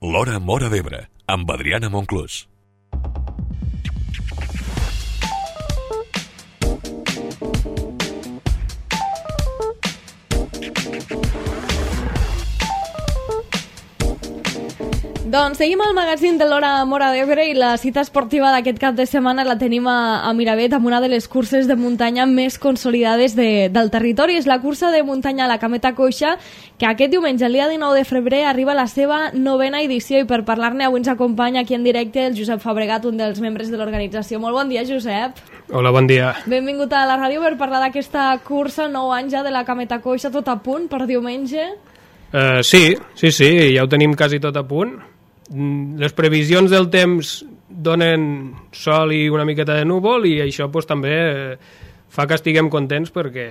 L'Hora Móra d'Ebre, amb Adriana Monclús. Doncs seguim al magazín de l'Hora Móra d'Ebre i la cita esportiva d'aquest cap de setmana la tenim a Miravet amb una de les curses de muntanya més consolidades del territori. És la cursa de muntanya a la Cameta Coixa, que aquest diumenge, el dia 19 de febrer, arriba a la seva 9ª edició, i per parlar-ne avui ens acompanya aquí en directe el Josep Fabregat, un dels membres de l'organització. Molt bon dia, Josep. Hola, bon dia. Benvingut a la ràdio per parlar d'aquesta cursa, 9 anys ja de la Cameta Coixa, tot a punt per diumenge. Sí, ja ho tenim quasi tot a punt. Les previsions del temps donen sol i una miqueta de núvol, i això també fa que estiguem contents, perquè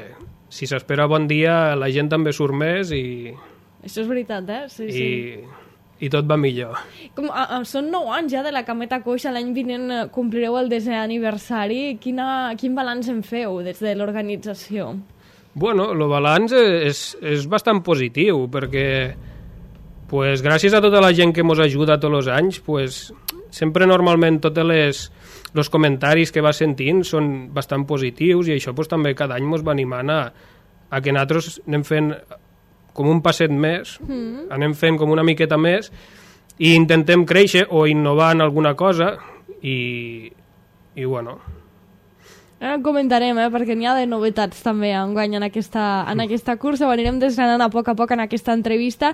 si s'espera bon dia la gent també surt més i... Això és veritat, Sí. I tot va millor. Són 9 anys ja de la Cameta Coixa, l'any vinent complireu el 10è aniversari. Quin balanç en feu des de l'organització? Bueno, el balanç és bastant positiu, perquè gràcies a tota la gent que ens ajuda tots els anys, sempre normalment tots els comentaris que va sentint són bastant positius, i això també cada any ens va animant a que nosaltres anem fent com un passet més, anem fent com una miqueta més, i intentem créixer o innovar en alguna cosa, i bueno... Ara en comentarem, perquè n'hi ha de novetats també enguany en aquesta cursa. Ho anirem desgranant a poc en aquesta entrevista.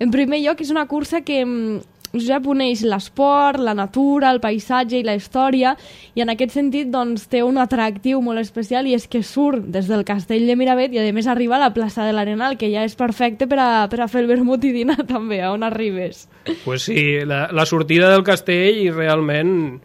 En primer lloc, és una cursa que ja uneix l'esport, la natura, el paisatge i la història, i en aquest sentit té un atractiu molt especial, i és que surt des del castell de Miravet i a més arriba a la plaça de l'Arenal, que ja és perfecte per a fer el vermut i dinar també, on arribes. Pues sí, la sortida del castell, i realment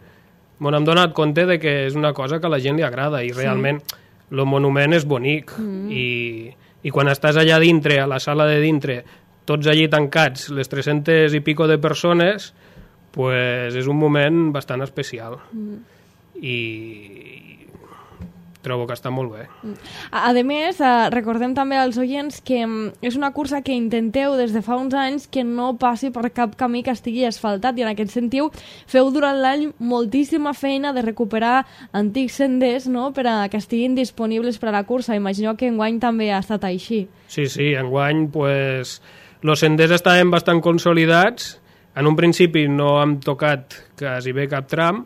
m'hem donat compte de que és una cosa que a la gent li agrada, i realment el monument és bonic, i quan estàs allà dintre, a la sala de dintre, tots allí tancats, les 300 i pico de persones, és un moment bastant especial, i trobo que està molt bé. A més, recordem també als oients que és una cursa que intenteu des de fa uns anys que no passi per cap camí que estigui asfaltat, i en aquest sentit feu durant l'any moltíssima feina de recuperar antics senders, per a que estiguin disponibles per a la cursa. Imagino que enguany també ha estat així. Sí, enguany els senders estaven bastant consolidats. En un principi no hem tocat quasi bé cap tram,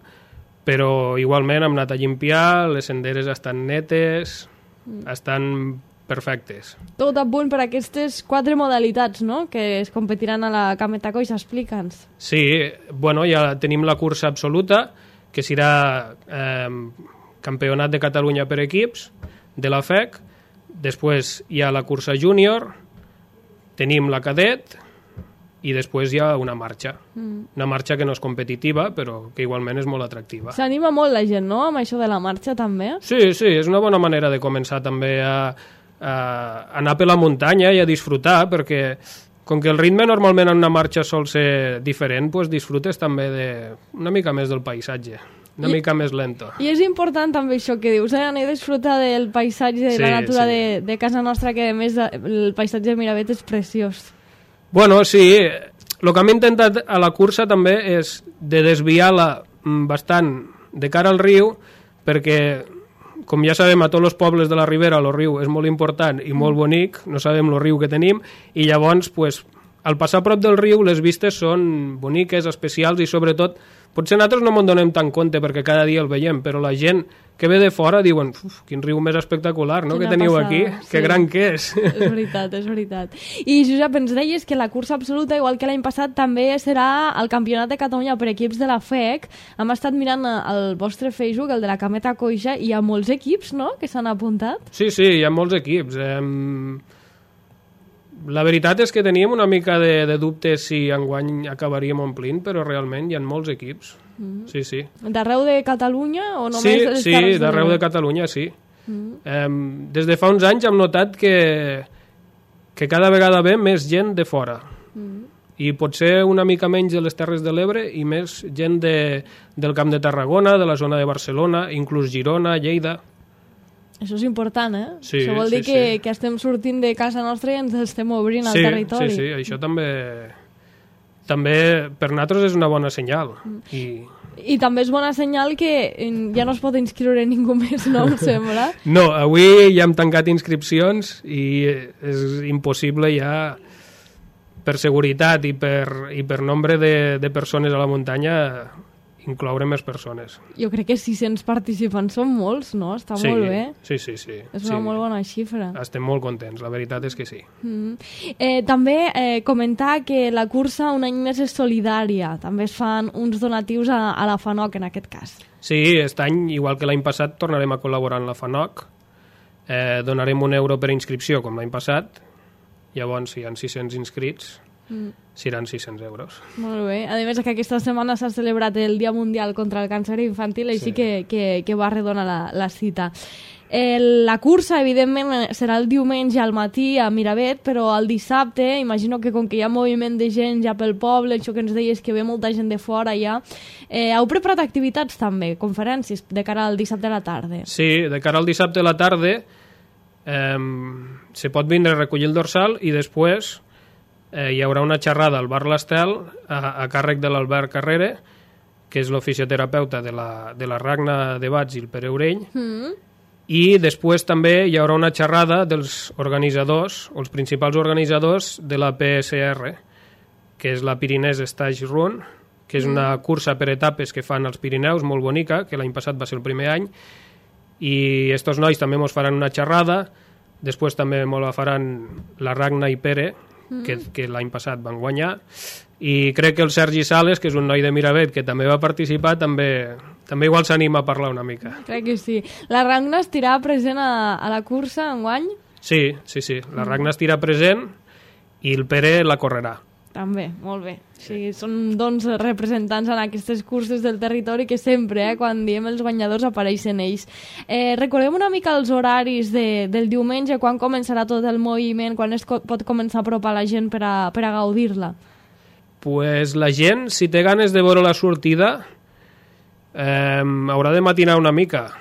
però igualment hem anat a limpiar, les senderes estan netes, estan perfectes. Tot a punt per aquestes 4 modalitats, que es competiran a la Cameta Coixa. Explica'ns. Sí, ja tenim la cursa absoluta, que serà campionat de Catalunya per equips, de la FEC. Després hi ha la cursa júnior, tenim la cadet, i després hi ha una marxa. Una marxa que no és competitiva, però que igualment és molt atractiva. S'anima molt la gent, amb això de la marxa també? Sí, és una bona manera de començar també a anar per la muntanya i a disfrutar, perquè com que el ritme normalment en una marxa sol ser diferent, disfrutes també una mica més del paisatge, una mica més lento. I és important també això que dius, anar a disfrutar del paisatge, de la natura de casa nostra, que a més el paisatge de Miravet és preciós. Bueno, sí, el que hem intentat a la cursa també és de desviar-la bastant de cara al riu, perquè, com ja sabem, a tots els pobles de la Ribera el riu és molt important i molt bonic, no sabem el riu que tenim, i llavors, al passar a prop del riu, les vistes són boniques, especials, i sobretot, potser nosaltres no ens donem tant compte perquè cada dia el veiem, però la gent que ve de fora diuen, quin riu més espectacular, que teniu aquí, que gran que és. És veritat. I Josep, ens deies que la cursa absoluta, igual que l'any passat, també serà el campionat de Catalunya per equips de la FEC. Hem estat mirant el vostre Facebook, el de la Cameta Coixa, i hi ha molts equips, que s'han apuntat? Sí, hi ha molts equips. La veritat és que teníem una mica de dubtes si enguany acabaríem omplint, però realment hi ha molts equips. Sí. D'arreu de Catalunya o només de les Terres de l'Ebre? Sí, d'arreu de Catalunya, sí. Des de fa uns anys hem notat que cada vegada ve més gent de fora. I potser una mica menys de les Terres de l'Ebre i més gent del Camp de Tarragona, de la zona de Barcelona, inclús Girona, Lleida. Això és important, Sí, això vol dir que estem sortint de casa nostra i ens estem obrint al territori. Sí, això també també per nosaltres és una bona senyal. I també és bona senyal que ja no es pot inscriure ningú més, no em sembla? No, avui ja hem tancat inscripcions i és impossible ja, per seguretat i per nombre de persones a la muntanya, incloure més persones. Jo crec que 600 participants són molts, no? Està molt bé. Sí. És una molt bona xifra. Estem molt contents, la veritat és que sí. També comentar que la cursa un any més és solidària. També es fan uns donatius a la FANOC, en aquest cas. Sí, aquest any, igual que l'any passat, tornarem a col·laborar amb la FANOC. Donarem €1 per inscripció, com l'any passat. Llavors, si hi ha 600 inscrits, seran €600. Molt bé. A més, que aquesta setmana s'ha celebrat el Dia Mundial contra el Càncer Infantil, així que va redonar la cita. La cursa, evidentment, serà el diumenge al matí a Miravet, però el dissabte, imagino que com que hi ha moviment de gent ja pel poble, això que ens deies que ve molta gent de fora ja, heu preparat activitats també, conferències, de cara al dissabte a la tarda? Sí, de cara al dissabte a la tarda se pot vindre a recollir el dorsal i després hi haurà una xerrada al bar L'Estel a càrrec de l'Albert Carrere, que és l'ofisioterapeuta de la Ragna de Bats i el Pere Urell, i després també hi haurà una xerrada dels organitzadors, o els principals organitzadors de la PSR, que és la Pyrenees Stage Run, que és una cursa per etapes que fan als Pirineus, molt bonica, que l'any passat va ser el primer any, i estos nois també mos faran una xerrada, després també mos la faran la Ragna i Pere, que l'any passat van guanyar, i crec que el Sergi Sales, que és un noi de Miravet que també va participar, també igual s'anima a parlar una mica. Crec que sí. La Ragna estirà present a la cursa enguany? Sí, la Ragna estirà present i el Pere la correrà. També, molt bé. Sí, són doncs representants en aquestes curses del territori que sempre, quan diem els guanyadors, apareixen ells. Recordem una mica els horaris del diumenge, quan començarà tot el moviment, quan es pot començar a apropar la gent per a gaudir-la? Pues la gent, si té ganes de veure la sortida, haurà de matinar una mica.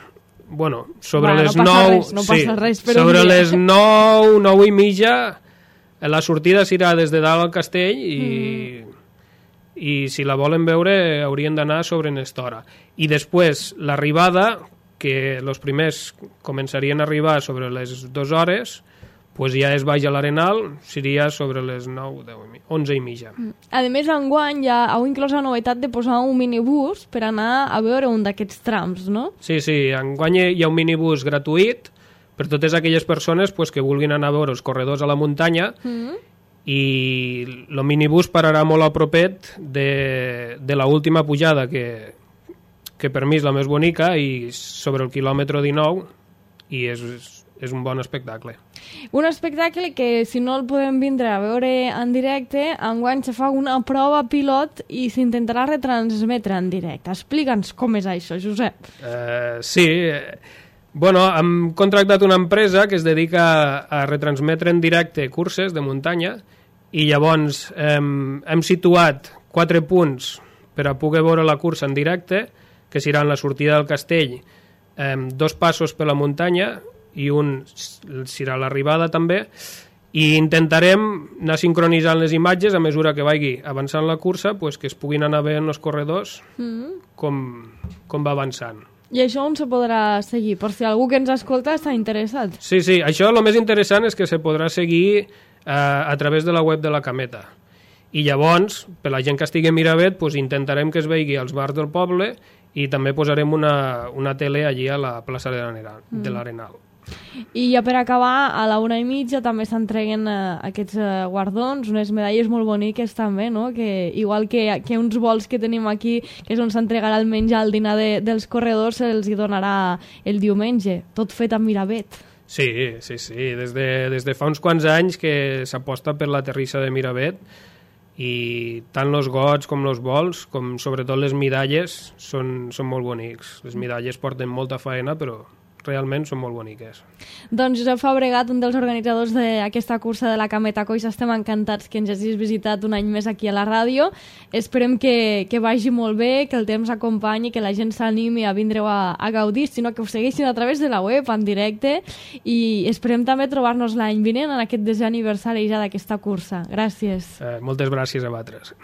Bueno, sobre les 9... No passa res, però sobre les 9, 9 i mitja, la sortida serà des de dalt al castell i si la volen veure haurien d'anar sobre aquesta hora. I després l'arribada, que els primers començarien a arribar sobre les 2 hores, pues ja es baix a l'Arenal, seria sobre les 9, 10, 11 i mitja. A més, enguany ja heu inclòs la novetat de posar un minibús per anar a veure un d'aquests trams, no? Sí, enguany hi ha un minibús gratuït per totes aquelles persones pues, que vulguin anar a veure els corredors a la muntanya i el minibús pararà molt a propet de l'última pujada, que per mi és la més bonica, i sobre el quilòmetre 19, i és un bon espectacle. Un espectacle que, si no el podem vindre a veure en directe, enguany se fa una prova pilot i s'intentarà retransmetre en directe. Explica'ns com és això, Josep. Sí, bueno, hem contractat una empresa que es dedica a retransmetre en directe curses de muntanya i llavors hem situat 4 punts per a poder veure la cursa en directe, que seran la sortida del castell, 2 passos per la muntanya i un serà l'arribada també, i intentarem anar sincronitzant les imatges a mesura que vagi avançant la cursa, pues, que es puguin anar veient els corredors com va avançant. I això on se podrà seguir? Per si algú que ens escolta està interessat. Sí, això el més interessant és que se podrà seguir a través de la web de la Cameta. I llavors, per la gent que estigui a Miravet, pues, intentarem que es vegi als bars del poble i també posarem una tele allí a la plaça de l'Arenal. I ja per acabar, a la 1:30 també s'entreguen aquests guardons, unes medalles molt boniques també, no? Que, igual que uns vols que tenim aquí, que és on s'entregarà el menjar al dinar dels corredors, se'ls donarà el diumenge, tot fet a Miravet. Sí, des de fa uns quants anys que s'aposta per la terrissa de Miravet, i tant els gots com els vols, com sobretot les medalles, són molt bonics. Les medalles porten molta faena, però realment són molt boniques. Doncs Josep Fabregat, un dels organitzadors d'aquesta cursa de la Cameta Coix, estem encantats que ens hagis visitat un any més aquí a la ràdio. Esperem que vagi molt bé, que el temps acompanyi, que la gent s'animi a vindre a gaudir, sinó que us segueixin a través de la web, en directe, i esperem també trobar-nos l'any vinent en aquest 10è aniversari ja d'aquesta cursa. Gràcies. Moltes gràcies a vosaltres.